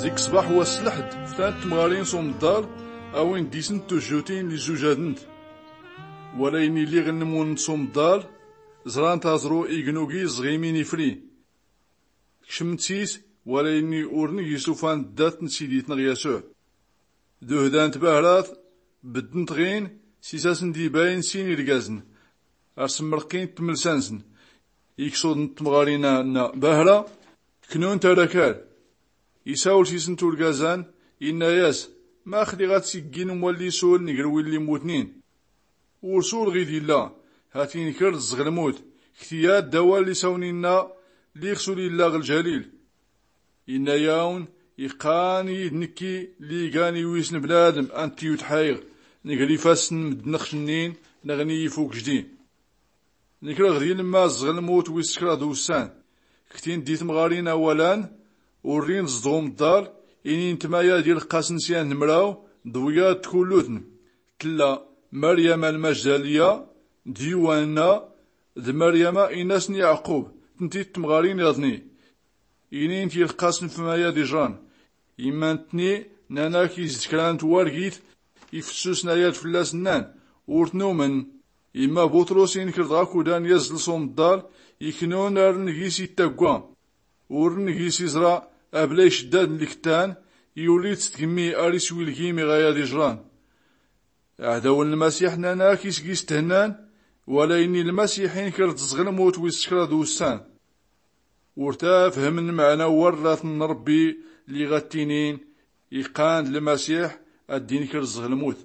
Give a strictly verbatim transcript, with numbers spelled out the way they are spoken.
Zik ṣṣbaḥ wass lḥedd, ftan tmɣarin s umḍḍal, awin-d isn tujjutin li zzujadent. Wala ini lliɣ nnmun s umḍḍal, ẓrant aẓru ignugi ẓɣimin ifri. Kcment sis, wala ini urn gis ufan ddat n siditnɣ yasuɛ. Duhdant bahrat, beddent ɣin, sis asn d-ibayn sin irgazn. Ar smrqint tmlsa-nsn. Ikṣudn tmɣarin-a nna bahra, knun tarakal. Isawl sisn turgazan, inna-yas, max lliɣ ad-siggin umwalli sul ngr willi mmutnin. Ur sul ɣid illa, hat inkr-d ẓɣ lmut, kti-ad-d awal isawn inna, lliɣ sul illa ɣ ljalil. Inna-yawn, iqqan id-nkki, lliɣ igan iwisn bnadm, anti utḥayɣ, ngr ifasn mddn xcnnin, nɣni ifuk jdi. Nkr ɣ di lmma ẓɣ lmut wis kraḍ ussan. Ktin di tmɣarin awalan, urrin ẓḍ umḍḍal, inin tmayad ilqqasn syan d mraw, d wiyad kullutn. Tlla, maryama lmajdaliya, d yuwanna, d maryama inas n yaɛqub, tnti tmɣarin iḍni. Inin tilqqasn f mayad ijran. Imma ntni, nnan-ak is-d kra n twargit, ifssusn ayad fllas nnan, ur tnumn. Imma buṭrus inkr-d ɣakudan yazzl s umḍḍal, iknun arn gis ittagwa. Urn gis iẓra, abla icddad n lktan, iwlid s tgmmi ar iswi lgim iɣ ayad ijran. Aɛdaw n lmasiḥ nnan-ak is gis thennan, wala ini lmasiḥ inkr-d ẓɣ lmut wis kraḍ ussan. Ur tafhmn mɛna warratn n rbbi, lliɣ ad-ttinin, iqqan d lmasiḥ, ad-inkr ẓɣ lmut.